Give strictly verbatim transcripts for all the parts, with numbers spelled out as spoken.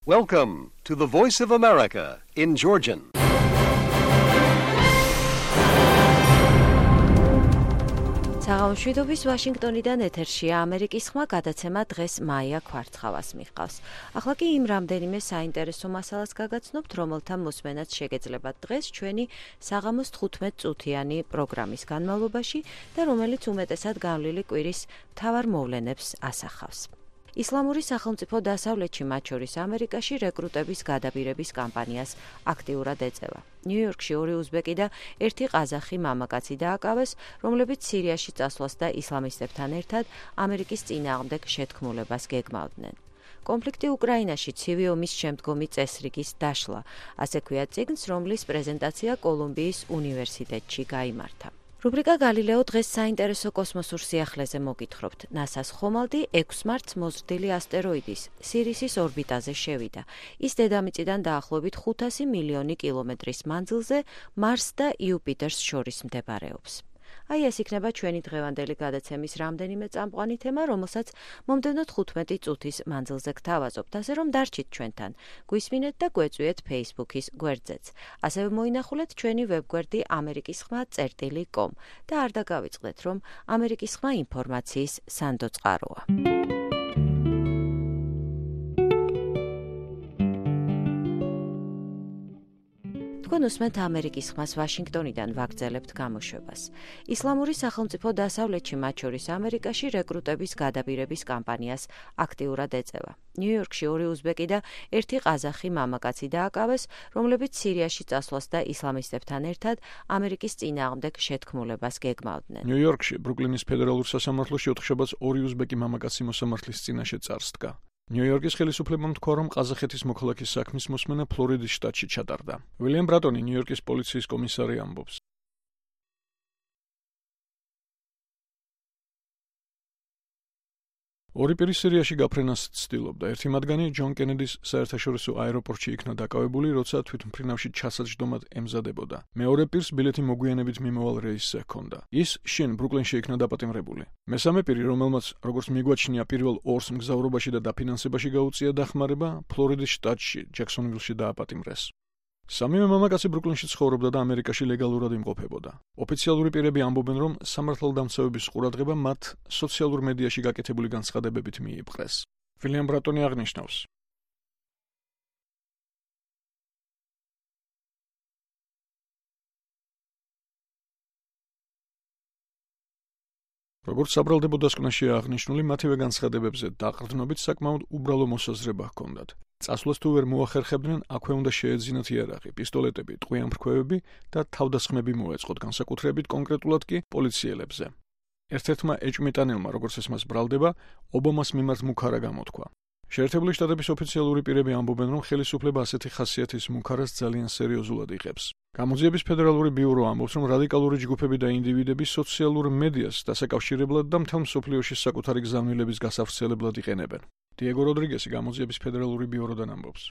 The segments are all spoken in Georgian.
Welcome to the Voice of America in Georgian. საღამოშვიდობის ვაშინგტონიდან ეთერშია ამერიკის ხმა გადაცემა დღეს მაია ქვარცხავას მიჰყავს. ახლა კი იმ რამდენიმე საინტერესო მასალას გაგაცნობთ, რომელთა მოსმენაც შეგეძლებათ დღეს ჩვენი საღამოს თხუთმეტ წუთიანი პროგრამის განმავლობაში და რომელიც უმეტესად გავლილი კვირის მთავარ მოვლენებს ასახავს. ისლამური სახელმწიფო დასავლეთში, მათ შორის ამერიკაში, რეკრუტების გადაბირების კამპანიას აქტიურად ეწევა. ნიუ-იორკში ორი უზბეკი და ერთი ყაზახი მამაკაცი დააკავეს, რომლებიც სირიაში წასვლას და ისლამისტებთან ერთად ამერიკის წინააღმდეგ შეთქმულებას გეგმავდნენ. კონფლიქტი უკრაინაში ცივი ომის შემდგომი წესრიგის დაშლა, ასე ქვია წიგნს, რომლის პრეზენტაცია კოლუმბიის უნივერსიტეტში გაიმართა. რუბრიკა გალილეო დღეს საინტერესო კოსმოსურ სიახლეზე მოგითხრობთ. ნასას ხომალდი ექვს მარტს მოზრდილი ასტეროიდის სირისის ორბიტაზე შევიდა. ის დედამიწიდან დაახლოებით ხუთასი მილიონი კილომეტრის მანძილზე მარსს და იუპიტერს შორის მდებარეობს. აი ეს იქნება ჩვენი დღევანდელი გადაცემის რამდენიმე წამყვანი თემა, რომელსაც მომდევნო თხუთმეტი წუთის მანძილზე გთავაზობთ, ასე რომ დარჩით ჩვენთან. გვისმინეთ და გვეწვიეთ Facebook-ის გვერდზეც. ასევე მოინახულეთ ჩვენი ვებგვერდი ამერიკის ხმა წერტილი კომ და არ დაგავიწყდეთ, რომ ამერიკის ხმა ინფორმაციის სანდოწყაროა. თქვენ უსმენთ ამერიკის ხმას ვაშინგტონიდან ვაგრძელებთ გამოშვებას. ისლამური სახელმწიფო დასავლეთში, მათ შორის ამერიკაში, რეკრუტების გადაბირების კამპანიას აქტიურად ეწევა. ნიუ-იორკში ორი უზბეკი და ერთი ყაზახი მამაკაცი დააკავეს, რომლებიც სირიაში წასვლას და ისლამისტებთან ერთად ამერიკის წინააღმდეგ შეთქმულებას გეგმავდნენ. ნიუ-იორკში, ბრუკლინის ფედერალურ სასამართლოში ოთხშაბათს ორი უზბეკი მამაკაცი მოსამართლის წინაშე წარსდგა. ნიუ-იორკის ხელისუფლებამ თქვა, რომ ყაზახეთის მოქალაქის საქმის მოსმენა ფლორიდის შტატში ჩატარდა. ვილიამ ბრატონი, ნიუ-იორკის პოლიციის კომისარი ამბობს. ორი პირი სირიაში გაფრენას ცდილობდა. ერთი მათგანი ჯონ კენედის საერთაშორისო აეროპორტში იქნა დაკავებული, როცა თვითმფრინავში ჩასაჯდომად ემზადებოდა. მეორე პირს ბილეთი მოგვიანებით მიმავალ რეისზე ჰქონდა. ის შინ ბრუკლინში იქნა დაპატიმრებული. მესამე პირი, რომელმაც როგორც მიგვაჩნია პირველ ორს მგზავრობაში და დაფინანსებაში გაუწია დახმარება, ფლორიდის შტატში, ჯექსონვილში დააპატიმრეს. სამივე მამაკაცი ბრუკლინში ცხოვრობდა და ამერიკაში ლეგალურად იმყოფებოდა. ოფიციალური პირები ამბობენ, რომ სამართალდამცავების ყურადღება მათ სოციალურ მედიაში გაკეთებული განცხადებებით მიიპყრეს. ვილიამ ბრატონი აღნიშნავს. როგორც საბრალდებო დასკვნაშია აღნიშნული, მათივე განცხადებებზე დაყრდნობით საკმაოდ უბრალო მოსაზრება ჰქონდათ. წასვლას თუ ვერ მოახერხებდნენ, აქვე უნდა შეეძინათ იარაღი, პისტოლეტები, ტყვიან-ფრქვევები და თავდასხმები მოეწყოთ, განსაკუთრებით კონკრეტულად კი პოლიციელებზე. ერთ-ერთმა ეჭმიტანელმა, როგორც ეს მას ბრალდება, ობამას მიმართ მუქარა გამოთქვა. შეერთებული შტატების ოფიციალური პირები ამბობენ, რომ ხელისუფლება ასეთი ხასიათის მუქარას ძალიან სერიოზულად იღებს. გამოძიების ფედერალური ბიურო ამბობს, რომ რადიკალური ჯგუფები და ინდივიდები სოციალურ მედიას დასაკავშირებლად და მთელ მსოფლიოში საკუთარი გზავნილების გასავრცელებლად იყენებენ. დიეგო როდრიგესი გამოძიების ფედერალური ბიუროდან ამბობს.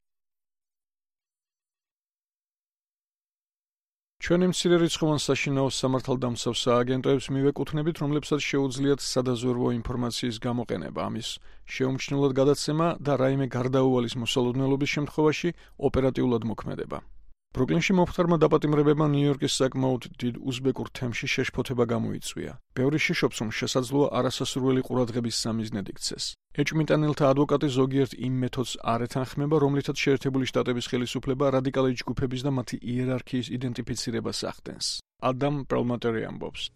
ჩვენი მცირერიცხოვან საშინაო სამართალდამცავ სააგენტოებს მივეკუთვნებით, რომლებსაც შეუძლიათ სადაზვერვო ინფორმაციის გამოყენება, ამის შეუმჩნევლად გადაცემა და რაიმე გარდაუვალის მოსალოდნელობის შემთხვევაში ოპერატიულად მოქმედება. ბრუკლინში მომხდარმა დაპატიმრებებმა ნიუ-იორკის საკმაოდ დიდ უზბეკურ თემში შეშფოთება გამოიწვია. ბევრი შიშობს, რომ შესაძლოა არასასურველი ყურადღების სამიზნედ იქცეს. ეჭმიტანელთა ადვოკატი ზოგიერთ იმ მეთოდს არ ეთანხმება, რომლითაც შეერთებული შტატების ხელისუფლება რადიკალური ჯგუფების და მათი იერარქიის იდენტიფიცირებას ახდენს. ადამ პრალმატერი ამბობს.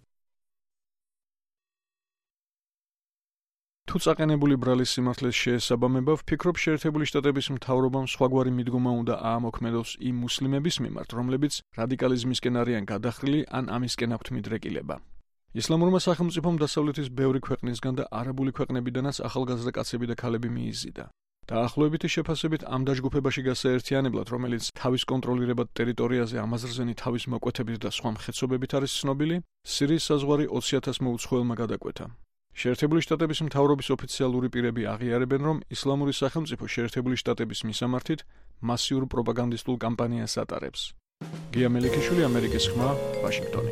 თუ წაყენებული ბრალის სიმართლეს შეესაბამება, ვფიქრობ, შეერთებული შტატების მთავრობამ სხვაგვარი მიდგომა უნდა აამოქმედოს იმ მუსლიმების მიმართ, რომლებიც რადიკალიზმისკენ არიან გადახრილი ან ამისკენ აქვთ მიდრეკილება. ისლამურმა სახელმწიფომ დასავლეთის ბევრი ქვეყნისგან და არაბული ქვეყნებიდანაც ახალგაზრდა კაცები და ქალები მიიზიდა. დაახლოებითი შეფასებით ამ დაჯგუფებაში გასაერთიანებლად, რომელიც თავის კონტროლირებად ტერიტორიაზე ამაზრზენი თავის მოკვეთებით და სხვა მხეცობებით არის ცნობილი, სირიის საზღვარი ოცი ათას მოუცხოელმა გადაკვეთა. შეერთებული შტატების მთავრობის ოფიციალური პირები აღიარებენ, რომ ისლამური სახელმწიფო შეერთებული შტატების მისამართით მასიურ პროპაგანდისტულ კამპანიას ატარებს. გია მელიქიშვილი, ამერიკის ხმა, ვაშინგტონი.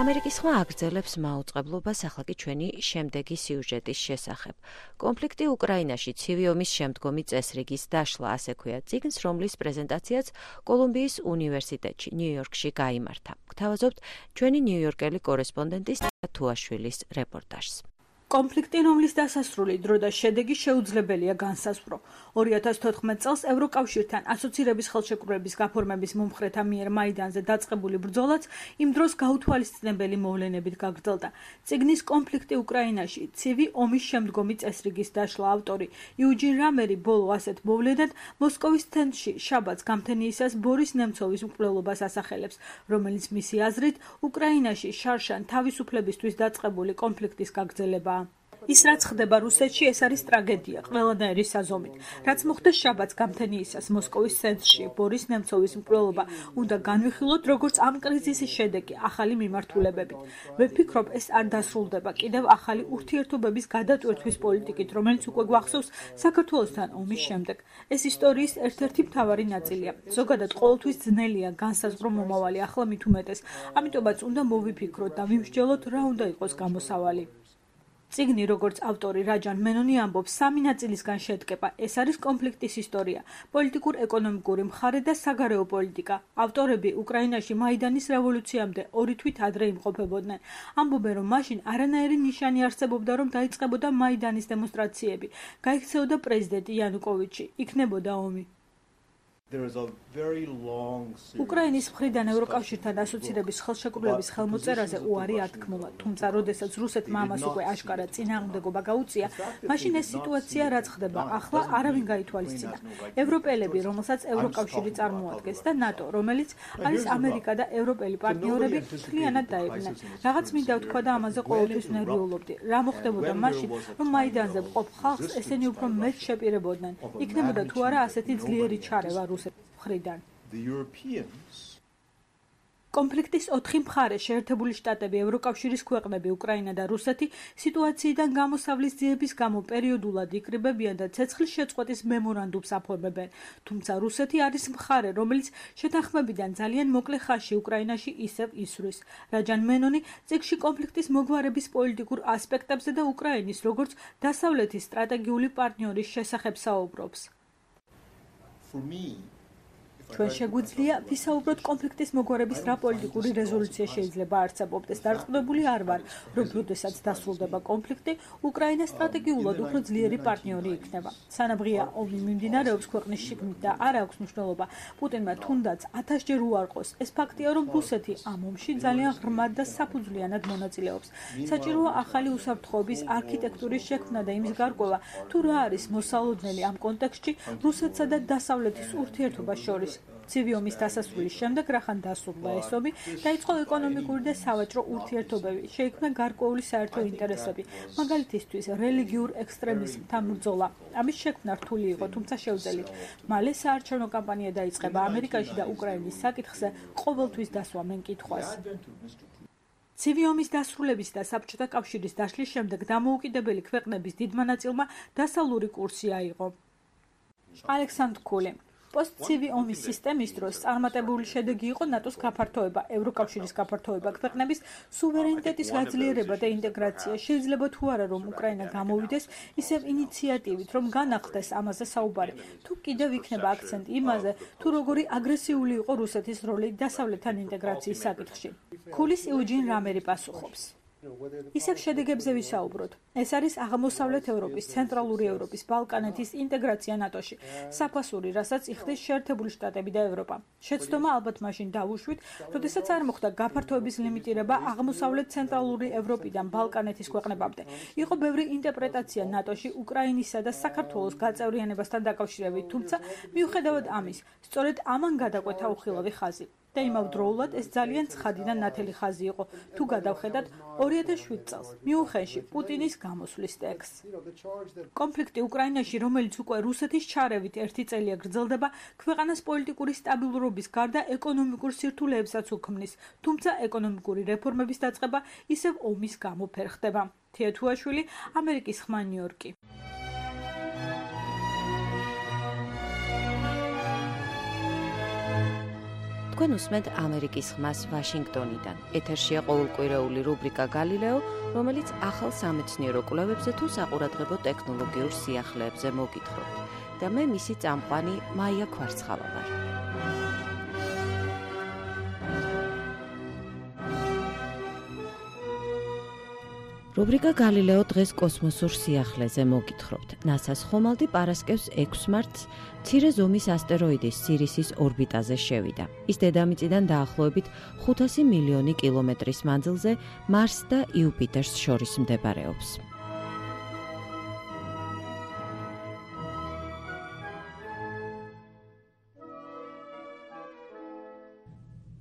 ამერიკის ხმა აგრძელებს მაუწყებლობას ახლა კი ჩვენი შემდეგი სიუჟეტის შესახებ. კონფლიქტი უკრაინაში ცივი ომის შემდგომი წესრიგის დაშლა, ასე ქვია წიგნს, რომლის პრეზენტაციაც კოლუმბიის უნივერსიტეტში, ნიუ-იორკში გაიმართა. გთავაზობთ ჩვენი ნიუ-იორკელი კორესპონდენტის თუაშვილის რეპორტაჟს. კონფლიქტი, რომლის დასასრული დრო და შედეგი შეუძლებელია განსაზღვრო. ორი ათას თოთხმეტ წელს ევროკავშირთან ასოცირების ხელშეკრულების გაფორმების მომხრეთა მიერ მაიდანზე დაწყებული ბრძოლაც იმ დროს გაუთვალისწინებელი მოვლენებით გაგრძელდა. წიგნის კონფლიქტი უკრაინაში, ცივი ომის შემდგომი წესრიგის დაშლა ავტორი იუჯინ რამერი ბოლო ასეთ მოვლენად მოსკოვის ცენტრში შაბათს გამთენიისას ბორის ნემცოვის მკვლელობას ასახელებს, რომელიც მისი აზრით უკრაინაში შარშან თავისუფლებისთვის დაწყებული კონფლიქტის გაგრძელებაა. ის რაც ხდება რუსეთში, ეს არის ტრაგედია ყველანაირი საზომით. რაც მოხდა შაბათს გამთენიისას მოსკოვის ცენტრში, ბორის ნემცოვის მკვლელობა უნდა განვიხილოთ როგორც ამ კრიზისის შედეგი ახალი მიმართულებებით. ვფიქრობ, ეს არ დასრულდება კიდევ ახალი ურთიერთობების გადატვირთვის პოლიტიკით, რომელიც უკვე გვახსოვს საქართველოსთან ომის შემდეგ. ეს ისტორიის ერთ-ერთი მთავარი ნაწილია. ზოგადად ყოველთვის ძნელია განსაზღვრო მომავალი, ახლა მით უმეტეს. ამიტომაც უნდა მოვიფიქროთ და ვიმსჯელოთ, რა უნდა იყოს გამოსავალი. წიგნი, როგორც ავტორი რაჯან მენონი ამბობს, სამი ნაწილისგან შედგება. ეს არის კონფლიქტის ისტორია, პოლიტიკურ-ეკონომიკური მხარე და საგარეო პოლიტიკა. ავტორები უკრაინაში მაიდანის რევოლუციამდე ორი თვით ადრე იმყოფებოდნენ. ამბობენ, რომ მაშინ არანაირი ნიშანი არსებობდა, რომ დაიწყებოდა მაიდანის დემონსტრაციები. გაიქცეოდა პრეზიდენტი იანუკოვიჩი, იქნებოდა ომი. უკრაინის მხრიდან ევროკავშირთან ასოცირების ხელშეკრულების ხელმოწერაზე უარი ათქმულა, თუმცა როდესაც რუსეთმა ამას უკვე აშკარა წინააღმდეგობა გაუწია, მაშინ ეს სიტუაცია რაც ხდება ახლა არავინ გაითვალისწინა. ევროპელები, რომელსაც ევროკავშირი წარმოადგენს და ნატო, რომელიც არის ამერიკა და ევროპელი პარტნიორები, მთლიანად დაებნენ. რაღაც მინდა ვთქვა და ამაზე ყოველთვის ნერვიულობდი. რა მოხდებოდა მაშინ, რომ მაიდანზე მყოფ ხალხს ესენი უფრო მეტ შეპირებოდნენ. იქნებოდა თუ არა ასეთი ძლიერი ჩარევა მხრიდან. კონფლიქტის ოთხი მხარე, შეერთებული შტატები, ევროკავშირის ქვეყნები, უკრაინა და რუსეთი, სიტუაციიდან გამოსავლის ძიების გამო პერიოდულად იკრიბებიან და ცეცხლის შეწყვეტის მემორანდუმს აფორმებენ. თუმცა რუსეთი არის მხარე, რომელიც შეთანხმებიდან ძალიან მოკლე ხანში უკრაინაში ისევ ისვრის. რაჯან მენონი წიგნში კონფლიქტის მოგვარების პოლიტიკურ ასპექტებზე და უკრაინის როგორც დასავლეთის სტრატეგიული პარტნიორის შესახებ საუბრობს. ჩვენ შეგვიძლია ვისაუბროთ კონფლიქტის მოგვარების რა პოლიტიკური რეზოლუცია შეიძლება არსებობდეს. დარწმუნებული არ ვარ, რომ როდესაც დასრულდება კონფლიქტი, უკრაინა სტრატეგიულად უფრო ძლიერი პარტნიორი იქნება. სანამ ღია ომი მიმდინარეობს ქვეყნის შიგნით და არ აქვს მნიშვნელობა პუტინმა თუნდაც ათასჯერ უარყოს, ეს ფაქტია, რომ რუსეთი ამ ომში ძალიან ღრმად და საფუძვლიანად მონაწილეობს. საჭიროა ახალი უსაფრთხოების არქიტექტურის შექმნა და იმის გარკვევა, თუ რა არის მოსალოდნელი ამ კონტექსტში რუსეთსა და დასავლეთის ურთიერთობას შორის. ცივი ომის დასასრულის შემდეგ, რახან დასრულდა ეს ომი, დაიწყო ეკონომიკური და სავაჭრო ურთიერთობები, შეიქმნა გარკვეული საერთო ინტერესები, მაგალითისთვის რელიგიურ ექსტრემიზმთან ბრძოლა. ამის შექმნა რთული იყო, თუმცა შეუძლია. მალე საარჩევნო კამპანია დაიწყება ამერიკაში და უკრაინის საკითხზე ყოველთვის დასვა მენკითხვას. ცივი ომის დასრულების და საბჭოთა კავშირის დაშლის შემდეგ დამოუკიდებელი ქვეყნების დიდმა ნაწილმა დასავლური კურსი აიღო. ალექსანდრ კული პოსტცივი ომის სისტემის დროს წარმატებული შედეგი იყო ნატოს გაფართოება, ევროკავშირის გაფართოება, ქვეყნების სუვერენიტეტის გაძლიერება და ინტეგრაცია. შეიძლება თუ არა რომ უკრაინა გამოვიდეს ისევ ინიციატივით, რომ განახლდეს ამაზე საუბარი. თუ კიდევ იქნება აქცენტი იმაზე, თუ როგორი აგრესიული იყო რუსეთის როლი დასავლეთთან ინტეგრაციის საკითხში. კულის იუჯინ რამერი პასუხობს. ისევ შედეგებზე ვისაუბროთ. ეს არის აღმოსავლეთ ევროპის, ცენტრალური ევროპის, ბალკანეთის ინტეგრაცია ნატოში. საფასური, რასაც იხდის შეერთებული შტატები და ევროპა. შეცდომა ალბათ მაშინ დავუშვით, როდესაც არ მოხდა გაფართოების ლიმიტირება აღმოსავლეთ ცენტრალური ევროპიდან ბალკანეთის ქვეყნებამდე. იყო ბევრი ინტერპრეტაცია ნატოში უკრაინისა და საქართველოს გაწევრიანებასთან დაკავშირებით, თუმცა მიუხედავად ამის, სწორედ ამან გადაკვეთა უხილავი ხაზი. და იმავდროულად ეს ძალიან ცხადი და ნათელი ხაზი იყო, თუ გადავხედათ ორი ათას შვიდ წელს, მიუნხენში პუტინის გამოსვლის ტექსტს. კონფლიქტი უკრაინაში, რომელიც უკვე რუსეთის ჩარევით ერთი წელია გრძელდება, ქვეყანას პოლიტიკური სტაბილურობის გარდა ეკონომიკურ სირთულეებსაც უქმნის, თუმცა ეკონომიკური რეფორმების დაწყება ისევ ომის გამო ვერ ხდება. თია თუაშვილი, ამერიკის ხმა, ნიუ-იორკი. თქვენ უსმენთ ამერიკის ხმას ვაშინგტონიდან. ეთერშია ყოველკვირეული რუბრიკა გალილეო, რომელიც ახალ სამეცნიერო კვლევებზე თუ საყურადღებო ტექნოლოგიურ სიახლეებზე მოგითხრობთ. და მე მისი წამყვანი მაია ქვარცხავა ვარ. რუბრიკა გალილეო დღეს კოსმოსურ სიახლეზე მოგითხრობთ. ნასას ხომალდი პარასკევს ექვს მარტს მცირე ზომის ასტეროიდის სირისის ორბიტაზე შევიდა. ის დედამიწიდან დაახლოებით ხუთასი მილიონი კილომეტრის მანძილზე მარსს და იუპიტერს შორის მდებარეობს.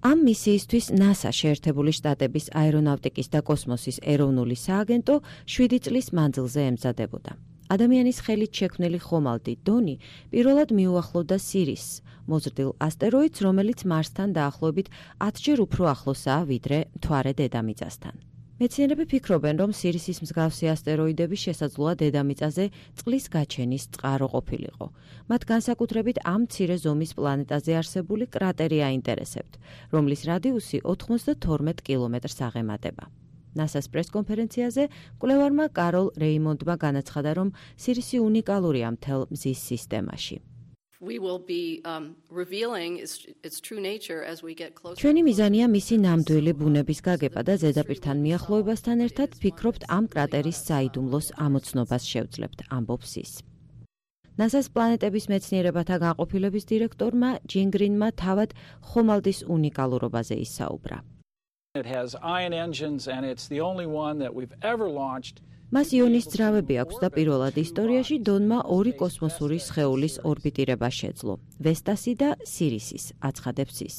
ამ მისიისთვის NASA შეერთებული შტატების აერონავტიკის და კოსმოსის ეროვნული სააგენტო შვიდი წლის მანძილზე ემზადებოდა. ადამიანის ხელით შექმნილი ხომალდი დონი პირველად მიუახლოვდა სირისს, მოზრდილ ასტეროიდს, რომელიც მარსთან დაახლოებით ათჯერ უფრო ახლოსაა ვიდრე მთვარე დედამიწასთან. მეცნიერები ფიქრობენ, რომ სირისის მსგავსი ასტეროიდები შესაძლოა დედამიწაზე წყლის გაჩენის წყარო ყოფილიყო. მათ განსაკუთრებით ამ მცირე ზომის პლანეტაზე არსებული კრატერი აინტერესებთ, რომლის რადიუსი ოცდათორმეტ კილომეტრს აღემატება. NASA-ს პრესკონფერენციაზე მკვლევარმა კაროლ რეიმონდმა განაცხადა, რომ სირისი უნიკალურია მთელ მზის სისტემაში. We will be um, revealing its, its true nature as we get closer. ჩვენი მიზანია მისი ნამდვილი ბუნების გაგება და ზედაპირთან მიახლოებასთან ერთად ფიქრობთ ამ კრატერის საიდუმლოს ამოცნობას შევძლებთ, ამბობს ის. NASA-ს პლანეტების მეცნიერებათა განყოფილების დირექტორმა ჯინ გრინმა თავად ხომალდის უნიკალურობაზე ისაუბრა. It has ion engines and it's the only one that we've ever launched. მას იონის ძრავები აქვს და პირველად ისტორიაში დონმა ორი კოსმოსური სხეულის ორბიტირება შეძლო, ვესტასი და სირისის, აცხადებს ის.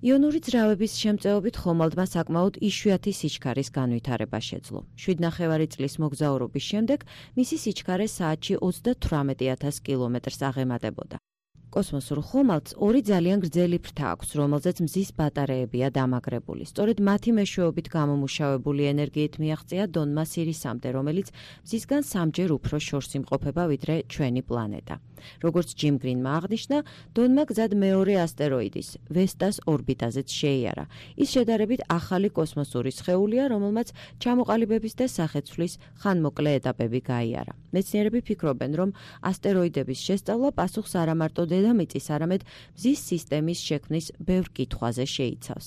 იონური ძრავების შემწეობით ხომალდმა საკმაოდ იშვიათი სიჩქარის განვითარება შეძლო. შვიდნახევარი წლის მოგზაურობის შემდეგ მისი სიჩქარე საათში ოცდათვრამეტი ათას კილომეტრს აღემატებოდა. კოსმოსურ ხომალდს ორი ძალიან გრძელი ფრთა აქვს, რომელზეც მზის ბატარეებია დამაგრებული. სწორედ მათი მეშვეობით გამომუშავებული ენერგიით მიაღწია დონმა სირისამდე, რომელიც მზისგან სამჯერ უფრო შორს იმყოფება ვიდრე ჩვენი პლანეტა. როგორც ჯიმ გრინმა აღნიშნა, დონმა გზად მეორე ასტეროიდის, ვესტას ორბიტაზეც შეიარა. ის შედარებით ახალი კოსმოსური სხეულია, რომელმაც ჩამოყალიბების და სახეცვლის ხანმოკლე ეტაპები გაიარა. მეცნიერები ფიქრობენ, რომ ასტეროიდების შესწავლა პასუხს არა მარტო დედამიწის, არამედ მზის სისტემის შექმნის ბევრ კითხვაზე შეიცავს.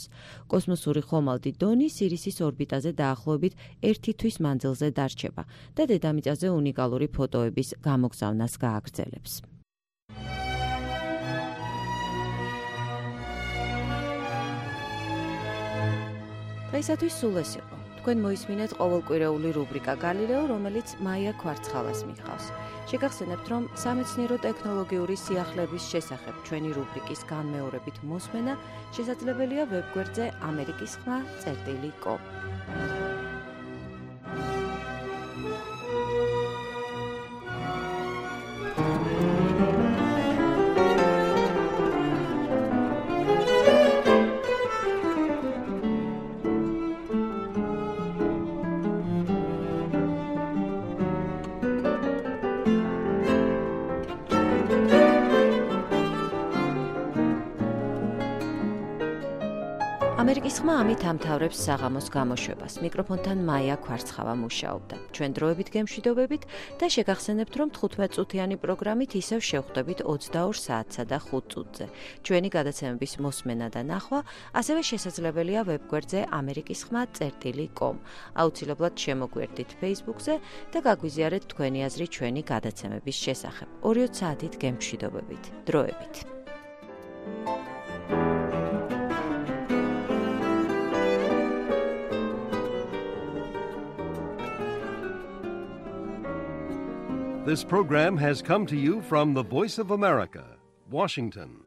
კოსმოსური ხომალდი დონი სირისის ორბიტაზე დაახლოებით ერთი თვის მანძილზე დარჩება და დედამიწაზე უნიკალური ფოტოების გამოგზავნას გააგრძელებს. დღეისათვის სულ ეს იყო. თქვენ მოისმინეთ ყოველკვირეული რუბრიკა გალილეო, რომელიც მაია ქვარცხავას მიჰყავს. შეგახსენებთ, რომ სამეცნიერო ტექნოლოგიური სიახლეების შესახებ ჩვენი რუბრიკის განმეორებით მოსმენა შესაძლებელია ვებგვერდზე ამერიკის ხმა წერტილი კომ. ამერიკის ხმა ამით ამთავრებს საღამოს გამოშვებას. მიკროფონთან მაია ქვარცხავა მუშაობდა. ჩვენ დროებით გემშვიდობებით და შეგახსენებთ, რომ თხუთმეტ წუთიანი პროგრამით ისევ შევხვდებით ოცდაორ საათსა და ხუთ წუთზე. ჩვენი გადაცემების მოსმენა და ნახვა ასევე შესაძლებელია ვებგვერდზე ამერიკის ხმა წერტილი კომ. აუცილებლად შემოგვერდით Facebook-ზე და გაგვიზიარეთ თქვენი აზრი ჩვენი გადაცემების შესახებ. ორი საათით გემშვიდობებით. დროებით. This program has come to you from the Voice of America, Washington.